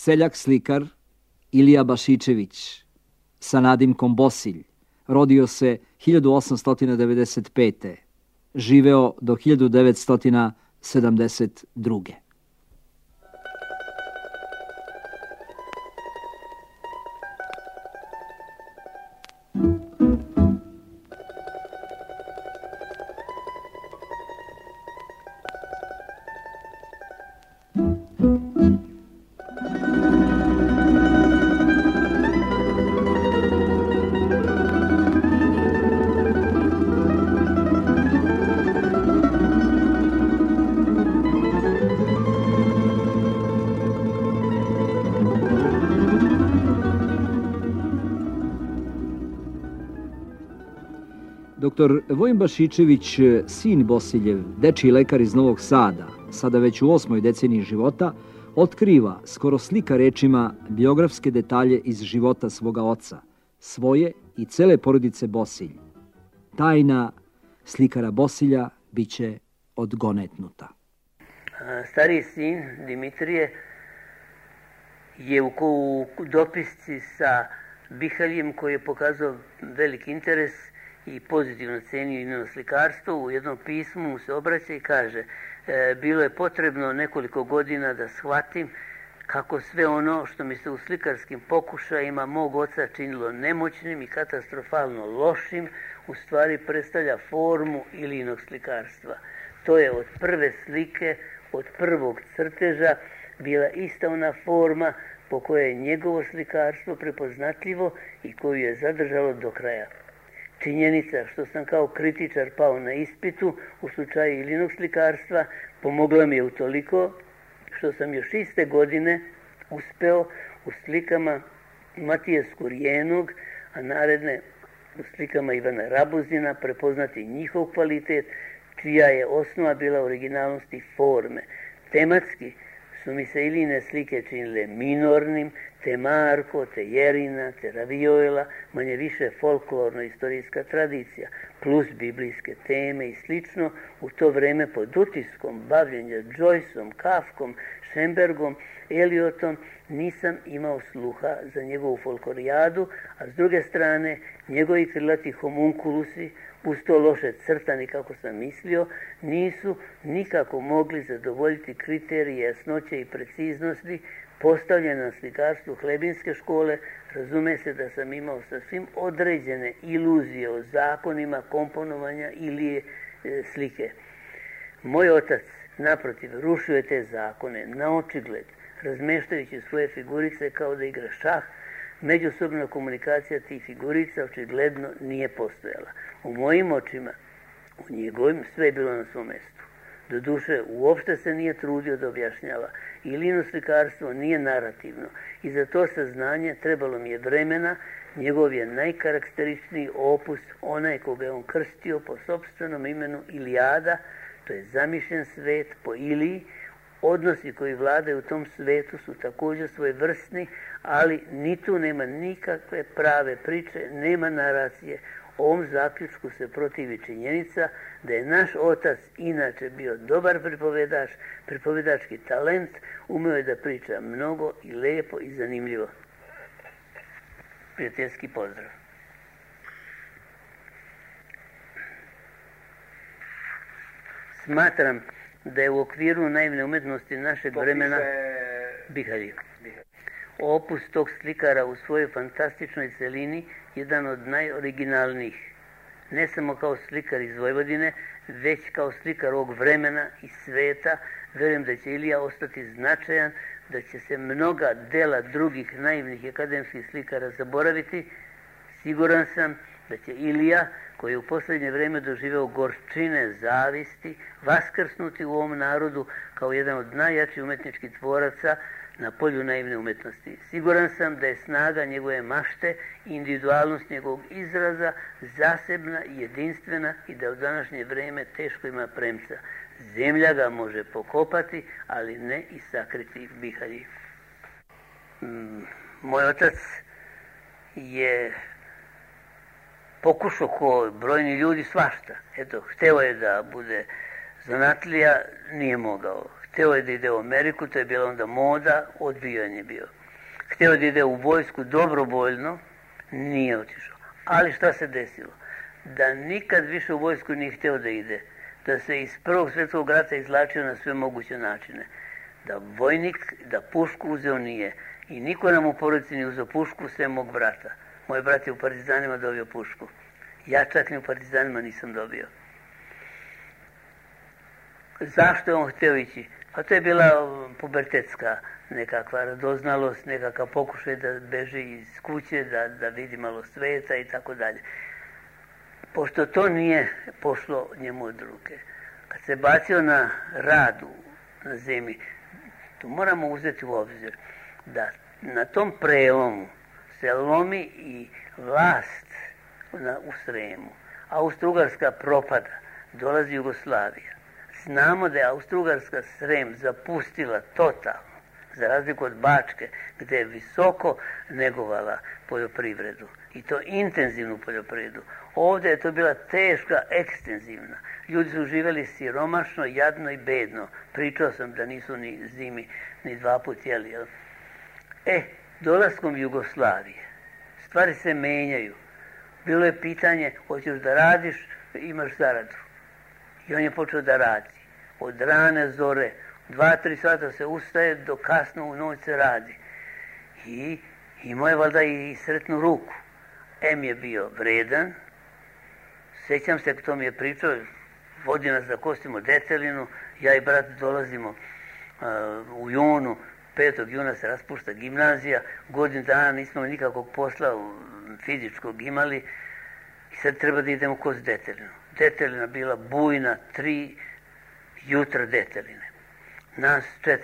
Seljak slikar Ilija Bašičević sa nadimkom Bosilj rodio se 1895. Živeo do 1972. Doktor Vojin Bašičević, sin Bosiljev, dečiji lekar iz Novog Sada, sada već u 8. deceniji života, otkriva, skoro slika rečima, biografske detalje iz života svoga oca, svoje i cele porodice Bosilj. Tajna slikara Bosilja biće odgonetnuta. Stariji sin Dimitrije je u dopisci sa Bihaljem, koji je pokazao veliki interes i pozitivno cenio njeno slikarstvo, u jednom pismu mu se obraća i kaže: bilo je potrebno nekoliko godina da shvatim kako sve ono što mi se u slikarskim pokušajima mog oca činilo nemoćnim i katastrofalno lošim, u stvari predstavlja formu Ilijinog slikarstva. To je od prve slike, od prvog crteža bila ista ona forma po kojoj je njegovo slikarstvo prepoznatljivo i koju je zadržalo do kraja. Činjenica što sam kao kritičar pao na ispitu u slučaju Ilijinog slikarstva pomogla mi je utoliko što sam još iste godine uspeo u slikama Matije Skurjenog, a naredne u slikama Ivana Rabuzina prepoznati njihov kvalitet, čija je osnova bila originalnosti forme. Tematski su mi se Ilijine slike činile minornim, te Marko, te Jerina, te Raviola, manje više folklorno-istorijska tradicija, plus biblijske teme i slično, u to vreme pod utiskom bavljenja Joyceom, Kafkom, Šembergom, Eliotom, nisam imao sluha za njegovu folklorijadu, a s druge strane, njegovi krilati homunkulusi, uz to loše crtani kako sam mislio, nisu nikako mogli zadovoljiti kriterije jasnoće i preciznosti postavljene na slikarstvu Hlebinske škole. Razume se da sam imao sasvim određene iluzije o zakonima komponovanja ili slike. Moj otac, naprotiv, rušio je te zakone na očigled, razmeštajući svoje figurice kao da igra šah. Međusobna komunikacija tih figurica očigledno nije postojala. U mojim očima, u njegovim, sve je bilo na svom mestu. Doduše, uopšte se nije trudio da objašnjava. Ilijino slikarstvo nije narativno i za to saznanje trebalo mi je vremena. Njegov je najkarakteričniji opus, onaj koga je on krstio po sopstvenom imenu Ilijada, to je zamišljen svet po Iliji. Odnosi koji vladaju u tom svetu su također svojevrsni, ali ni tu nema nikakve prave priče, nema naracije. Ovom zaključku se protivi činjenica da je naš otac inače bio dobar pripovedač, pripovedački talent, umeo je da priča mnogo i lepo i zanimljivo. Prijateljski pozdrav. Smatram da je u okviru naivne umetnosti našeg vremena Bihalji. Opus tog slikara u svojoj fantastičnoj celini jedan od najoriginalnijih. Ne samo kao slikar iz Vojvodine, već kao slikar ovog vremena i sveta. Verujem da će Ilija ostati značajan, da će se mnoga dela drugih naivnih akademskih slikara zaboraviti. Siguran sam da će Ilija, koji je u posljednje vrijeme doživeo gorčine zavisti, vaskrsnuti u ovom narodu kao jedan od najjačih umetničkih tvoraca na polju naivne umetnosti. Siguran sam da je snaga njegove mašte i individualnost njegovog izraza zasebna i jedinstvena i da u današnje vrijeme teško ima premca. Zemlja ga može pokopati, ali ne i sakriti Bihalji. Moj otac je pokušao ko brojni ljudi svašta. Eto, hteo je da bude zanatlija, nije mogao. Hteo je da ide u Ameriku, to je bila onda moda, odbijen je bio. Hteo da ide u vojsku dobrovoljno, nije otišao. Ali šta se desilo? Da nikad više u vojsku nije hteo da ide. Da se iz Prvog svjetskog rata izlačio na sve moguće načine. Da vojnik, da pušku uzeo nije. I niko nam u porodici nije uzeo pušku, sve mog brata. Moj brat je u partizanima dobio pušku. Ja čak ni u partizanima nisam dobio. Zašto je on htio ići? Pa to je bila pubertetska nekakva radoznalost, nekakav pokušaj da beži iz kuće, da vidi malo sveta i tako dalje. Pošto to nije pošlo njemu od ruke, kad se bacio na radu na zemlji, to moramo uzeti u obzir da na tom prelomu se lomi i vlast u Sremu. Austro-Ugarska propada, dolazi Jugoslavija. Znamo da je Austro-Ugarska Srem zapustila totalno, za razliku od Bačke, gdje je visoko negovala poljoprivredu. I to intenzivnu poljoprivredu. Ovdje je to bila teška, ekstenzivna. Ljudi su živjeli siromašno, jadno i bedno. Pričao sam da nisu ni zimi, ni 2 put jeli. Dolaskom Jugoslavije, stvari se menjaju. Bilo je pitanje, hoćeš da radiš, imaš zaradu. I on je počeo da radi. Od rane zore, 2-3 sata se ustaje, do kasno u noć se radi. I imao je valjda i sretnu ruku. Je bio vredan. Sjećam se, kto mi je pričao, vodi nas da kostimo detelinu, ja i brat dolazimo u junu, 5. juna se raspušta gimnazija, godinu dana nismo nikakvog posla fizičkog imali i sad treba da idemo kost detelinu. Detelina bila bujna, 3 jutra deteline. Nas 4,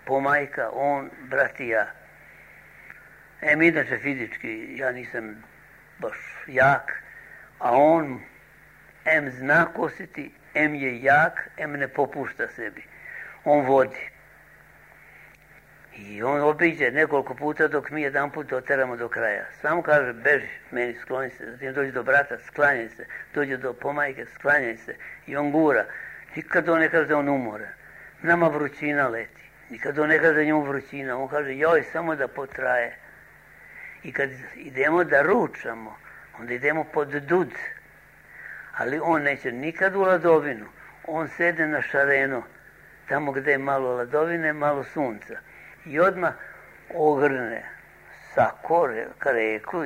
pomajka, on, brat i ja. Inače fizički ja nisam baš jak, a on zna kositi, je jak, ne popušta sebi. On vodi. I on obiđe nekoliko puta dok mi jedan put oteramo do kraja. Samo kaže, beži, meni skloni se, zatim dođe do brata, sklanjaj se, dođe do pomajke, sklanjaj se. I on gura. Nikad on ne kaže da on umore. Nama vrućina leti. Nikad on ne kaže da njemu vrućina. On kaže, joj, samo da potraje. I kad idemo da ručamo, onda idemo pod dud. Ali on neće nikad u ladovinu. On sede na šareno, tamo gdje je malo ladovine, malo sunca. I odmah ogrne sako, reklu,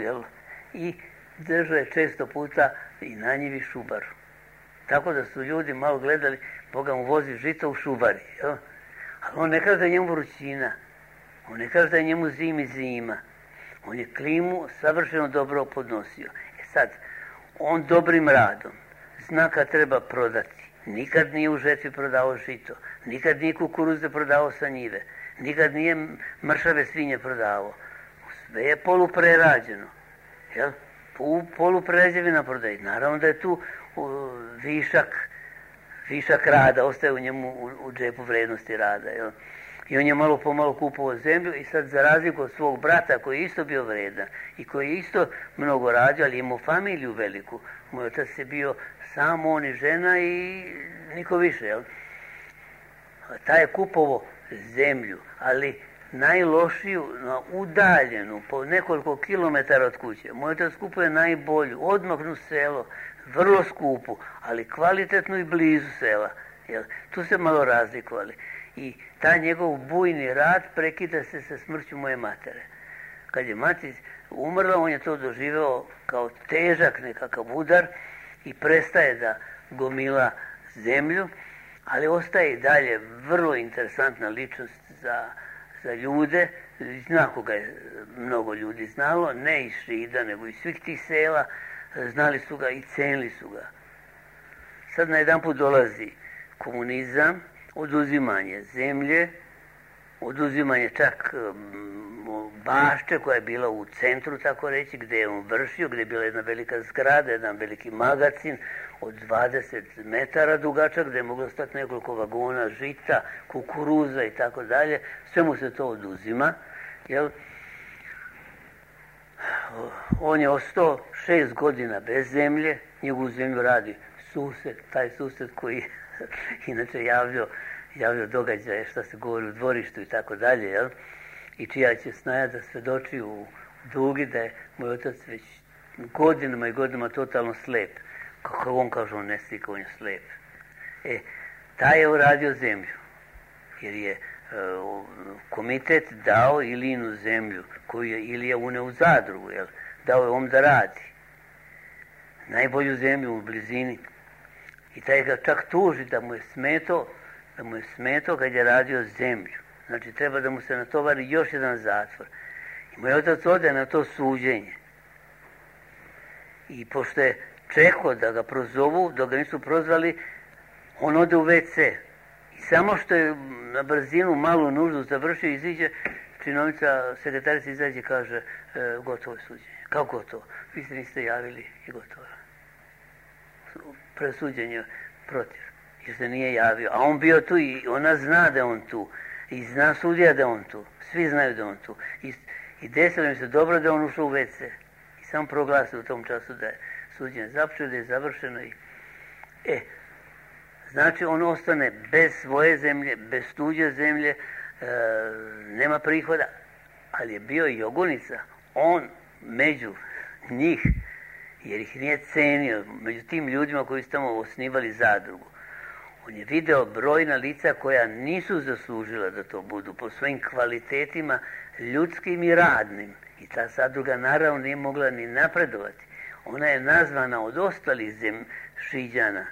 i drže često puta i na njivi šubaru. Tako da su ljudi malo gledali, Boga mu vozi žito u šubari. Jel? Ali on ne kaže da je njemu vrućina. On ne kaže da je njemu zima. On je klimu savršeno dobro podnosio. Sad, on dobrim radom zna kad treba prodati. Nikad nije u žetvi prodao žito. Nikad nije kukuruze prodao sa njive. Nikad nije mršave svinje prodavao. Sve je poluprerađeno. Jel? Poluprerađevina prodaje. Naravno da je tu višak rada, ostaje u njemu u džepu vrednosti rada. Jel? I on je malo po malo kupovao zemlju i sad za razliku od svog brata koji je isto bio vredan i koji je isto mnogo radio, ali imao familiju veliku. Moj otac je bio sam on i žena i niko više. Jel? Taj je kupovao zemlju, ali najlošiju, udaljenu, po nekoliko kilometara od kuće. Moj otac kupuje najbolju, odmaknu selo, vrlo skupu, ali kvalitetnu i blizu sela. Jel? Tu se malo razlikovali. I taj njegov bujni rad prekida se sa smrću moje matere. Kad je mati umrla, on je to doživeo kao težak nekakav udar i prestaje da gomila zemlju, ali ostaje i dalje vrlo interesantna ličnost za ljude. Zna koga je mnogo ljudi znalo, ne iz Šida, nego iz svih tih sela, znali su ga i cenili su ga. Sad na jedan put dolazi komunizam, oduzimanje zemlje, oduzimanje čak bašče koja je bila u centru, tako reći, gdje je on vršio, gdje je bila jedna velika zgrada, jedan veliki magacin od 20 metara dugačak, gdje je moglo stati nekoliko vagona žita, kukuruza i tako dalje. Sve mu se to oduzima. Jel? On je ostao 6 godina bez zemlje, njegovu zemlju radi sused, taj sused koji inače javljao javio događaje šta se govori u dvorištu i tako dalje, jel? I čija će snaja da svedoči u Dugi da je moj otac već godinama i godinama totalno slep. Kako on kaže, on ne slika, on je slep. Taj je uradio zemlju, jer je komitet dao Ilijinu zemlju, koju je Ilija uneo u zadrugu, jel? Dao je on da radi. Najbolju zemlju u blizini. I taj ga čak tuži da mu je smeto kad je radio zemlju. Znači, treba da mu se natovari još jedan zatvor. I moj otac ode na to suđenje. I pošto je čekao da ga prozovu, dok ga nisu prozvali, on ode u WC. I samo što je na brzinu malu nuždu završio, iziđe, činovnica, sekretarica izađe i kaže, gotovo je suđenje. Kao gotovo? Vi se niste javili i gotovo. Presuđenje protiv. Jer se nije javio. A on bio tu i ona zna da je on tu. I zna sudija da je on tu. Svi znaju da je on tu. I desilo mi se dobro da je on ušao u WC. I sam proglasio u tom času da je suđenje započeo, da je završeno. Znači on ostane bez svoje zemlje, bez tuđe zemlje, nema prihoda. Ali je bio i Jogunica. On među njih, jer ih nije cenio, među tim ljudima koji su tamo osnivali zadrugu. On je video brojna lica koja nisu zaslužila da to budu po svojim kvalitetima ljudskim i radnim. I ta zadruga naravno nije mogla ni napredovati. Ona je nazvana od ostalih Šiđana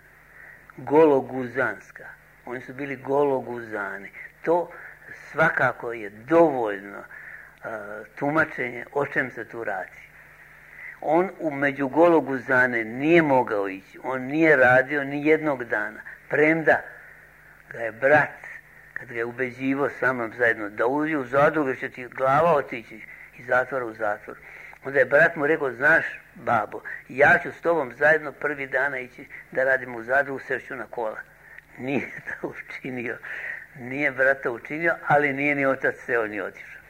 Gologuzanska. Oni su bili Gologuzani. To svakako je dovoljno tumačenje o čem se tu radi. On među Gologuzane nije mogao ići. On nije radio ni jednog dana. Premda ga je brat, kad ga je ubeđivo sa mnom zajedno, da uđe u zadrugu, će ti glava otići iz zatvora u zatvor. Onda je brat mu rekao, znaš, babo, ja ću s tobom zajedno prvi dana ići da radimo u zadrugu, sešću na kola. Nije to učinio. Nije brata učinio, ali nije ni otac seo ni otišao.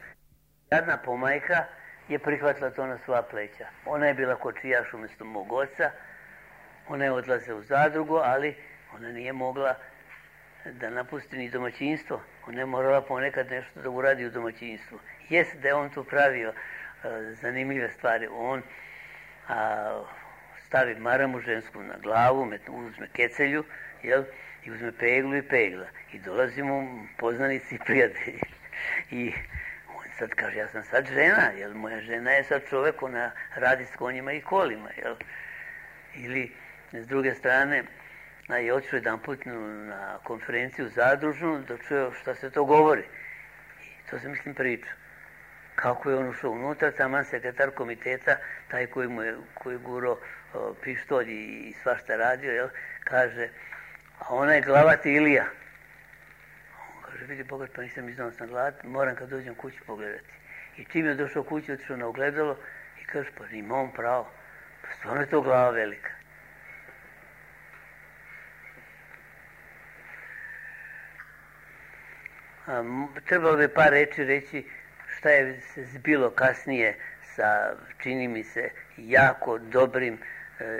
Jadna pomajka je prihvatila to na svoja pleća. Ona je bila kočijaš umjesto mog oca, ona je odlazila u zadrugu, ali ona nije mogla da napusti ni domaćinstvo. Ona je morala ponekad nešto da uradi u domaćinstvu. Jest da je on tu pravio zanimljive stvari. On stavi maramu žensku na glavu, uzme kecelju, jel? I uzme peglu i pegla. I dolazi mu poznanici i prijatelji. I on sad kaže, ja sam sad žena, jel? Moja žena je sad čovjek, ona radi s konjima i kolima, jel? Ili, s druge strane, je otišao jedan put na konferenciju zadružnu da čuje šta se to govori. I to se mislim priča. Kako je on ušao unutra, taman sekretar komiteta, taj koji guro pištolj i svašta radio, jel, kaže, a ona je glavat Ilija. On kaže, vidi Boga, pa nisam iznao sam glavat, moram kad dođem kući pogledati. I čim je došao kući, otišao na ogledalo i kaže, pa ima on pravo, pa stvarno je to glava velika. Trebalo bi par reči reći šta je se zbilo kasnije sa, čini mi se, jako dobrim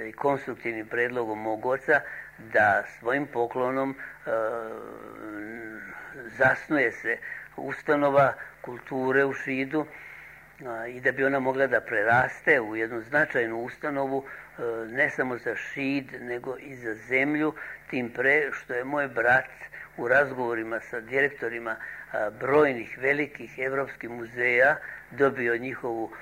i konstruktivnim predlogom mog oca da svojim poklonom zasnuje se ustanova kulture u Šidu i da bi ona mogla da preraste u jednu značajnu ustanovu ne samo za Šid nego i za zemlju, tim pre što je moj brat u razgovorima sa direktorima brojnih velikih evropskih muzeja dobio njihovu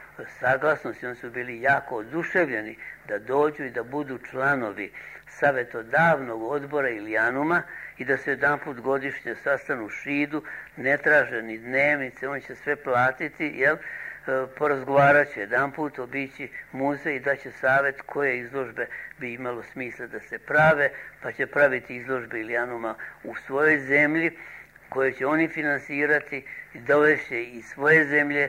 saglasnost i oni su bili jako oduševljeni da dođu i da budu članovi savetodavnog odbora Ilijanuma i da se jedanput godišnje sastanu u Šidu, ne traže ni dnevnice, on će sve platiti, jel? Porazgovarat će jedanput, obići muzej i daće savjet koje izložbe bi imalo smisla da se prave, pa će praviti izložbe Ilijanuma u svojoj zemlji, koje će oni finansirati i dovešće iz svoje zemlje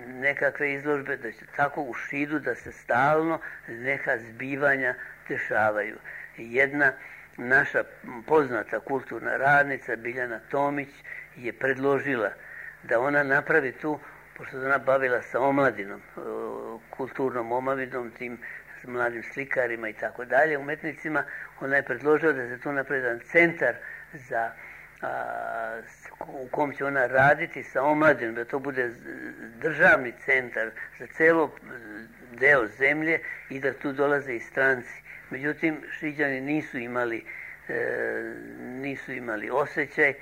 nekakve izložbe, da će tako u Šidu da se stalno neka zbivanja dešavaju. Jedna naša poznata kulturna radnica, Biljana Tomić, je predložila da ona napravi tu, pošto se ona bavila sa omladinom, kulturnom omladinom, tim mladim slikarima i tako dalje, umetnicima, ona je predložila da se tu napravi jedan centar za u kom će ona raditi sa omladinom, da to bude državni centar za celo deo zemlje i da tu dolaze i stranci. Međutim, Šiđani nisu imali osjećaj,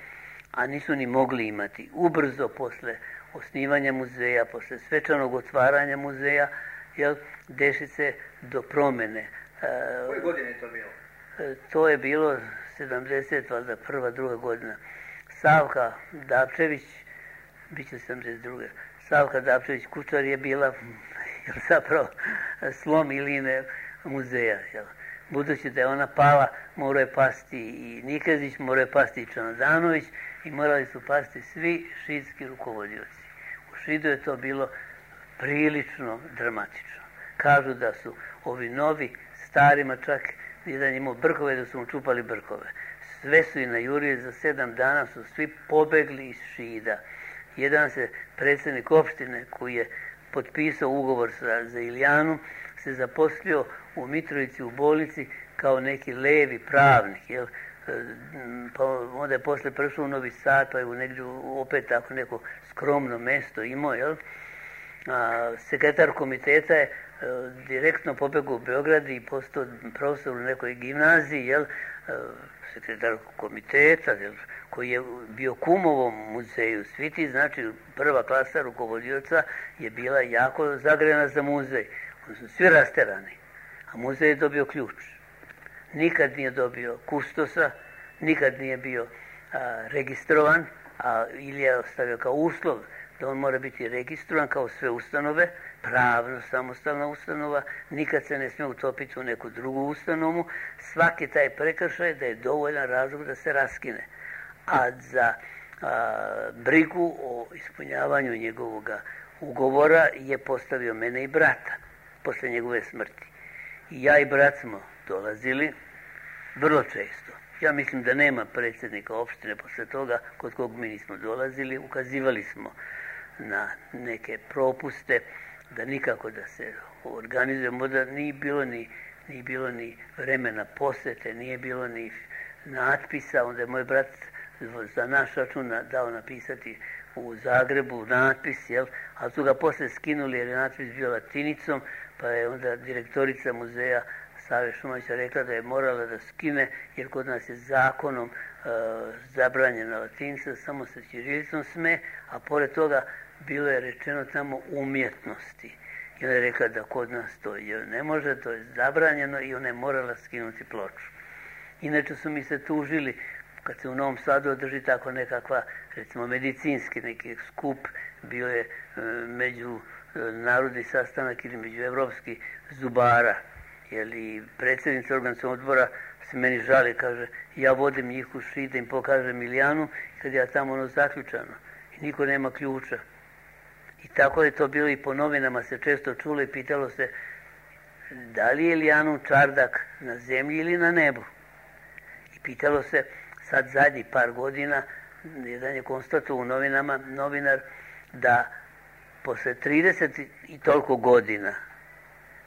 a nisu ni mogli imati. Ubrzo posle osnivanja muzeja, posle svečanog otvaranja muzeja, deši se do promene. Koje godine je to bilo? To je bilo 70, valjda prva, druga godina. Savka Dapčević, bit će 72. Savka Dapčević Kučar je bila zapravo slom iline muzeja. Budući da je ona pala, morao je pasti i Nikezić, morao je pasti i Čanadanović i morali su pasti svi šidski rukovodioci. U Šidu je to bilo prilično dramatično. Kažu da su ovi novi, starima čak, jedan imao brkove, da su mu čupali brkove. Sve su i najurili, za 7 dana su svi pobegli iz Šida. Jedan se predsjednik opštine koji je potpisao ugovor za Ilijanu, se zaposlio u Mitrovici u bolnici kao neki levi pravnik, pa onda je posle prešao u Novi Sad, pa je negdje opet tako neko skromno mesto imao, sekretar komiteta je direktno pobegao u Beograd i postao profesor u nekoj gimnaziji, sekretar komiteta, koji je bio kumovom muzeju. Svi ti, znači, prva klasa rukovodioca je bila jako zagrejana za muzej. Oni su svi rasterani, a muzej je dobio ključ. Nikad nije dobio kustosa, nikad nije bio registrovan, a Ilija je ostavio kao uslov da on mora biti registrovan kao sve ustanove, pravno samostalna ustanova, nikad se ne smije utopiti u neku drugu ustanovu. Svaki taj prekršaj da je dovoljan razlog da se raskine. A za brigu o ispunjavanju njegovog ugovora je postavio mene i brata posle njegove smrti. I ja i brat smo dolazili vrlo često. Ja mislim da nema predsjednika opštine posle toga kod kog mi nismo dolazili. Ukazivali smo na neke propuste, da nikako da se organizujemo, da nije bilo ni vremena posete, nije bilo ni natpisa. Onda je moj brat za naš račun dao napisati u Zagrebu natpis, ali su ga posle skinuli jer je natpis bio latinicom, pa je onda direktorica muzeja Save Šumavića rekla da je morala da skine, jer kod nas je zakonom zabranjena latinica, samo sa ćirilicom sme, a pored toga bilo je rečeno tamo umjetnosti. I ona je rekla da kod nas to ne može, to je zabranjeno i ona je morala skinuti ploču. Inače su mi se tužili, kad se u Novom Sadu održi tako nekakva, recimo medicinski neki skup, bio je međunarodni sastanak ili međuevropski zubara, jer i predsjednica organskog odbora se meni žali, kaže, ja vodim njih u Šid da im pokažem Ilijanu, kad ja tamo zaključano i niko nema ključa. I tako je to bilo i po novinama se često čulo i pitalo se da li je Ilijanum čardak na zemlji ili na nebu. I pitalo se sad zadnjih par godina, jedan je konstatovao u novinama novinar da posle 30 i toliko godina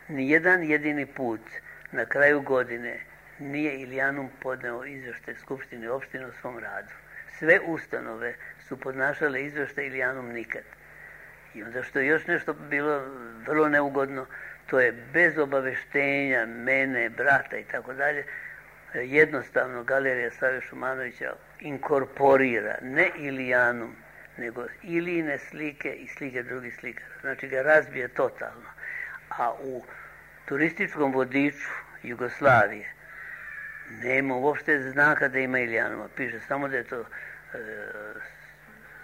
nijedan jedini put na kraju godine nije Ilijanum podneo izveštaj Skupštine opštine o svom radu. Sve ustanove su podnašale izveštaj, Ilijanum nikad. I onda što je još nešto bilo vrlo neugodno, to je bez obaveštenja mene, brata i tako dalje, jednostavno Galerija Save Šumanovića inkorporira ne Ilijanum, nego Ilijine slike i slike drugih slikara. Znači ga razbije totalno. A u turističkom vodiču Jugoslavije nema uopšte znaka da ima Ilijanuma. Piše samo da je to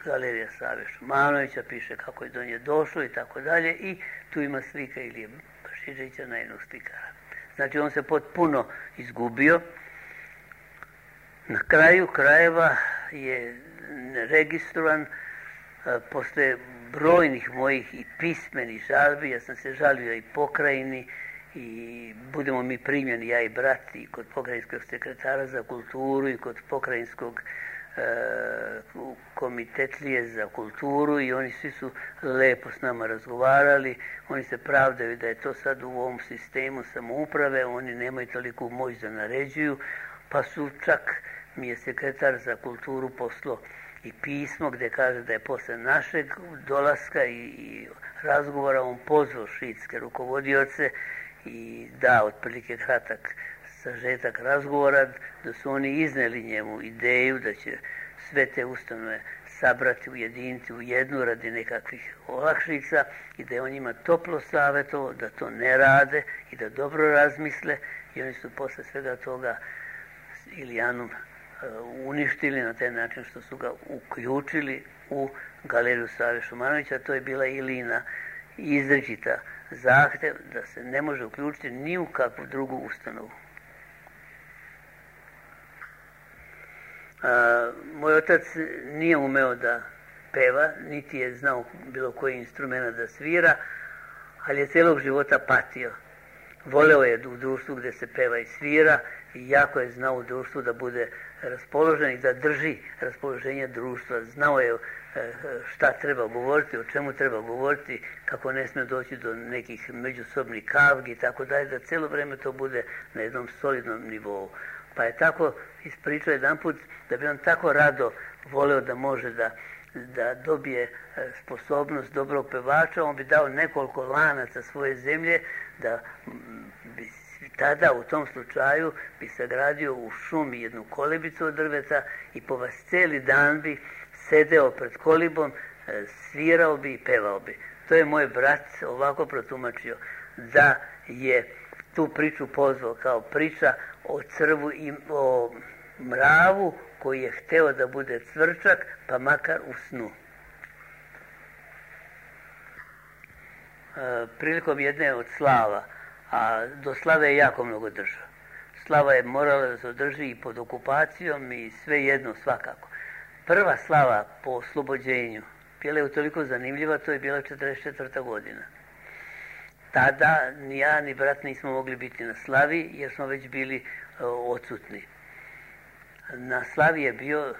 Galerija Save Šumanovića, piše kako je do nje došlo i tako dalje, i tu ima slika Ilije Bašiđevića, najnog slikara. Znači on se potpuno izgubio. Na kraju krajeva je registrovan posle brojnih mojih i pismenih žalbi. Ja sam se žalio i pokrajini i budemo mi primljeni, ja i brat, i kod pokrajinskog sekretara za kulturu i kod pokrajinskog komitetlije za kulturu, i oni svi su lepo s nama razgovarali. Oni se pravdaju da je to sad u ovom sistemu samouprave, oni nemaju toliku moć da naređuju, pa su čak mi je sekretar za kulturu poslao i pismo gdje kaže da je posle našeg dolaska i razgovora on pozvao šiitske rukovodioce i da otprilike kratak sažetak razgovora, da su oni izneli njemu ideju da će sve te ustanove sabrati, ujediniti u jednu radi nekakvih olakšica i da je on njima toplo savjetovao da to ne rade i da dobro razmisle i oni su posle svega toga Ilijanu uništili na taj način što su ga uključili u galeriju Save Šumanovića. To je bila Ilina izričita zahtev da se ne može uključiti ni u kakvu drugu ustanovu. Moj otac nije umeo da peva, niti je znao bilo koji instrument da svira, ali je cijelog života patio. Voleo je u društvu gdje se peva i svira i jako je znao u društvu da bude raspoložen i da drži raspoloženje društva. Znao je šta treba govoriti, o čemu treba govoriti, kako ne smije doći do nekih međusobnih kavgi i tako dalje, da cijelo vrijeme to bude na jednom solidnom nivou. Pa je tako ispričao jedanput da bi on tako rado voleo da može da dobije sposobnost dobrog pevača, on bi dao nekoliko lanaca svoje zemlje da bi tada u tom slučaju bi sagradio u šumi jednu kolebicu od drveta i po vas cijeli dan bi sedeo pred kolibom, svirao bi i pevao bi. To je moj brat ovako protumačio da je tu priču pozvao kao priča o crvu i o mravu koji je hteo da bude cvrčak, pa makar u snu. Prilikom jedne od slava, a do slave je jako mnogo držao. Slava je morala da se održi i pod okupacijom i sve jedno svakako. Prva slava po oslobođenju bila je utoliko zanimljiva, to je bila 44. godina. Tada ni ja ni brat nismo mogli biti na slavi jer smo već bili odsutni. Na slavi je bio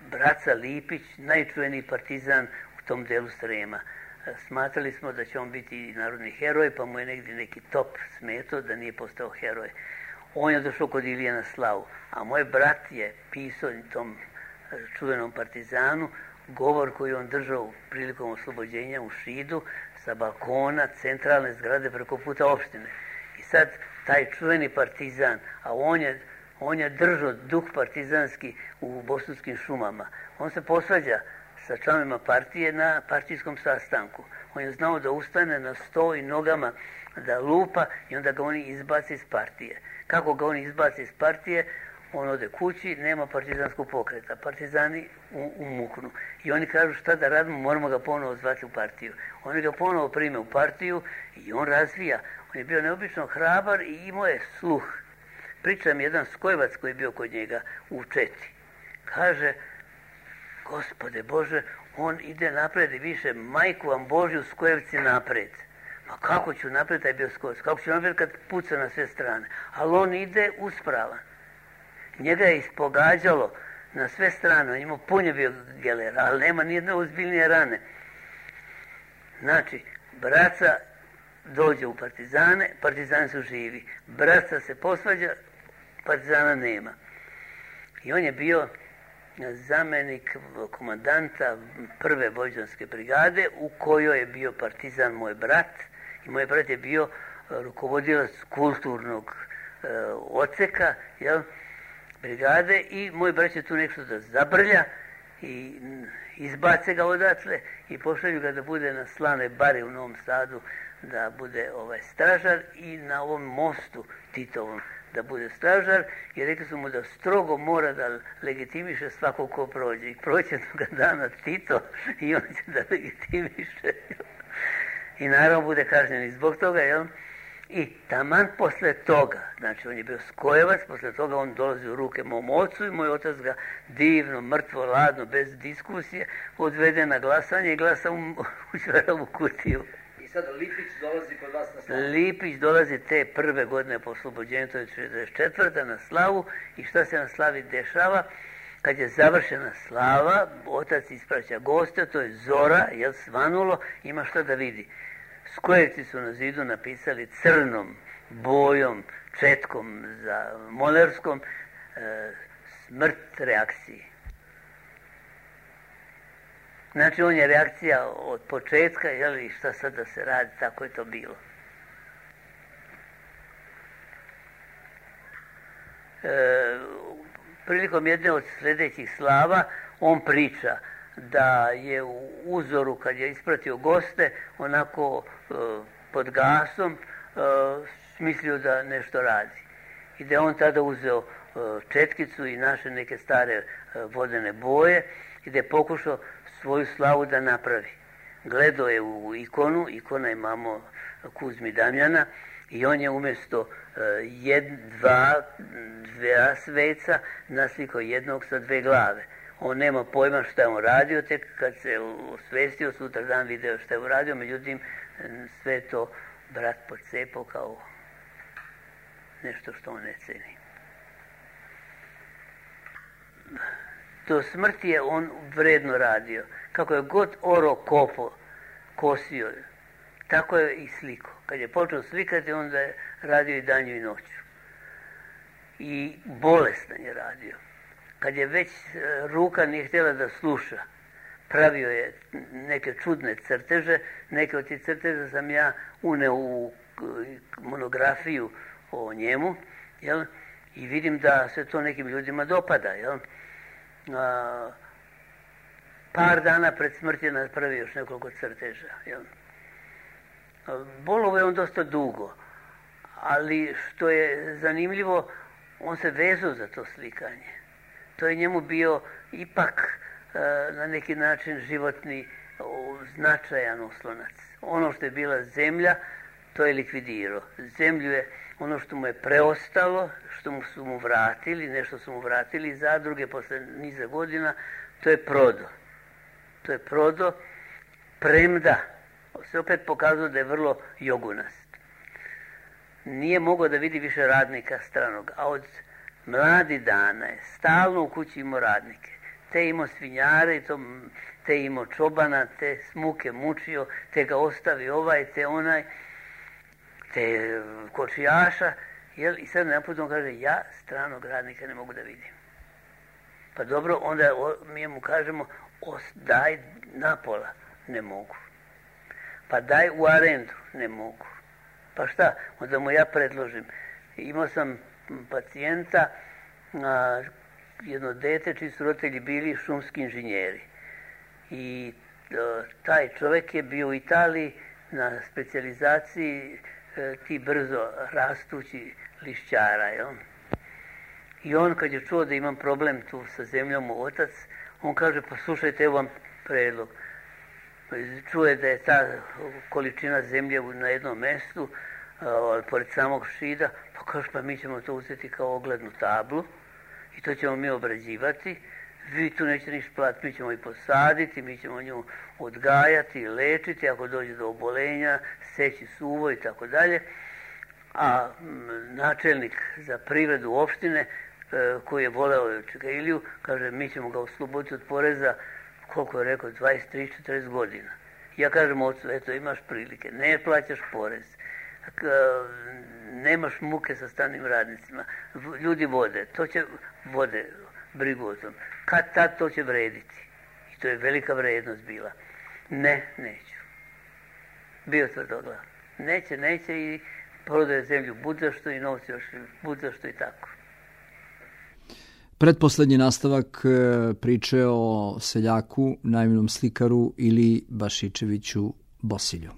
Braca Lipić, najčuveniji partizan u tom delu Srema. Smatrali smo da će on biti narodni heroj, pa mu je negdje neki top smetao da nije postao heroj. On je došao kod Ilije na slavu, a moj brat je pisao tom čuvenom partizanu govor koji on držao prilikom oslobođenja u Šidu sa balkona centralne zgrade preko puta opštine. I sad taj čuveni partizan, a on je držao duh partizanski u bosanskim šumama. On se posvađa sa članovima partije na partijskom sastanku. On je znao da ustane na sto i nogama da lupa i onda ga oni izbace iz partije. Kako ga oni izbace iz partije, on ode kući, nema partizanskog pokreta. Partizani umuknu. I oni kažu šta da radimo, moramo ga ponovo zvati u partiju. Oni ga ponovo prime u partiju i on razvija. On je bio neobično hrabar i imao je sluh. Priča mi jedan Skojevac koji je bio kod njega u Četi. Kaže, Gospode Bože, on ide napred i više, majku vam Božju, Skojevci napred. Ma kako ću napred, taj bio Skojevac, kako ću napred kad puca na sve strane. Ali on ide uspravan. Njega je ispogađalo na sve strane, on imao punje bio gelera, ali nema nijedne ozbiljnije rane. Znači, braca dođe u partizane, partizani su živi. Braca se posvađa, partizana nema. I on je bio zamjenik komandanta prve vojvođanske brigade u kojoj je bio partizan moj brat. I moj brat je bio rukovodilac kulturnog odseka, brigade i moj brat je tu nešto da zabrlja i izbace ga odatle i pošalju ga da bude na Slanoj bari u Novom Sadu, da bude stražar i na ovom mostu Titovom da bude stražar i rekli su mu da strogo mora da legitimiše svakog ko prođe. I prođe toga dana Tito i on će da legitimiše. I naravno bude kažnjen i zbog toga, jel? I taman posle toga, znači on je bio Skojevac, posle toga on dolazi u ruke mom ocu i moj otac ga divno, mrtvo, ladno, bez diskusije odvede na glasanje i glasa u Ćvaralovu kutiju. I sad Lipić dolazi kod vas na slavu? Lipić dolazi te prve godine po oslobođenju, to je 44. na slavu i šta se na slavi dešava? Kad je završena slava, otac ispraća goste, to je zora, svanulo, ima što da vidi. Skojevci su na zidu napisali crnom bojom, četkom za molerskom, smrt reakciji. Znači, on je reakcija od početka, jel, i šta sad da se radi, tako je to bilo. Prilikom jedne od sljedećih slava on priča da je u uzoru, kad je ispratio goste, onako pod gasom smislio da nešto radi. I da je on tada uzeo četkicu i naše neke stare vodene boje i da je pokušao svoju slavu da napravi. Gledao je u ikonu, ikona je imamo Kuzmi Damjana, i on je umjesto dva sveca naslikao jednog sa dve glave. On nema pojma šta je on radio, tek kad se osvestio, sutra dan video šta je uradio, međutim sve to brat pocepao kao nešto što on ne ceni. Do smrti je on vredno radio. Kako je god oro kopo, kosio, tako je i sliko. Kad je počeo slikati, onda je radio i danju i noću. I bolestan je radio. Kad je već ruka nije htjela da sluša, pravio je neke čudne crteže. Neke od tih crteža sam ja uneo u monografiju o njemu, jel? I vidim da se to nekim ljudima dopada. Jel? Par dana pred smrti je napravio još nekoliko crteža. Jel? Bolovo je on dosta dugo, ali što je zanimljivo, on se vezao za to slikanje. To je njemu bio ipak na neki način životni značajan oslonac. Ono što je bila zemlja, to je likvidirao. Zemlju je ono što mu je preostalo, što su mu vratili, nešto su mu vratili iz zadruge posle niza godina, to je prodao. To je prodao, premda se opet pokazao da je vrlo jogunast. Nije mogao da vidi više radnika stranog, a od mladih dana je stalno u kući imao radnike. Te imao svinjare, te imao čobana, te smuke mučio, te ga ostavi ovaj, te onaj, te kočijaša, jel? I sad naput on kaže, ja stranog radnika ne mogu da vidim. Pa dobro, onda mi mu kažemo, daj napola, ne mogu. Pa daj u arendu, ne mogu. Pa šta? Onda mu ja predložim. Imao sam pacijenta, jedno dete čiji su roditelji bili šumski inženjeri. I taj čovjek je bio u Italiji na specijalizaciji ti brzo rastući lišćara. Jel? I on kad je čuo da imam problem tu sa zemljom u otac, on kaže, pa slušajte, evo vam predlog. Čuje da je ta količina zemlje na jednom mjestu, pored samog šida, pa kaže, pa mi ćemo to uzeti kao oglednu tablu i to ćemo mi obrađivati. Vi tu nećete ništa platiti, mi ćemo i posaditi, mi ćemo nju odgajati, lečiti, ako dođe do obolenja, seći suvo i tako dalje. A načelnik za privredu opštine, koji je voleo Čekailiju, kaže, mi ćemo ga osloboditi od poreza, koliko je rekao, 23-40 godina. Ja kažem ocu, eto, imaš prilike, ne plaćaš porez, nemaš muke sa stranim radnicima, ljudi vode brigu o tom. Kad tad to će vrediti? I to je velika vrednost bila. Ne, neću. Bio tvrdoglav. Neće i prodaje zemlju budzašto i novci još budzašto i tako. Pretposlednji nastavak priče o seljaku, naivnom slikaru ili Bašičeviću Bosilju.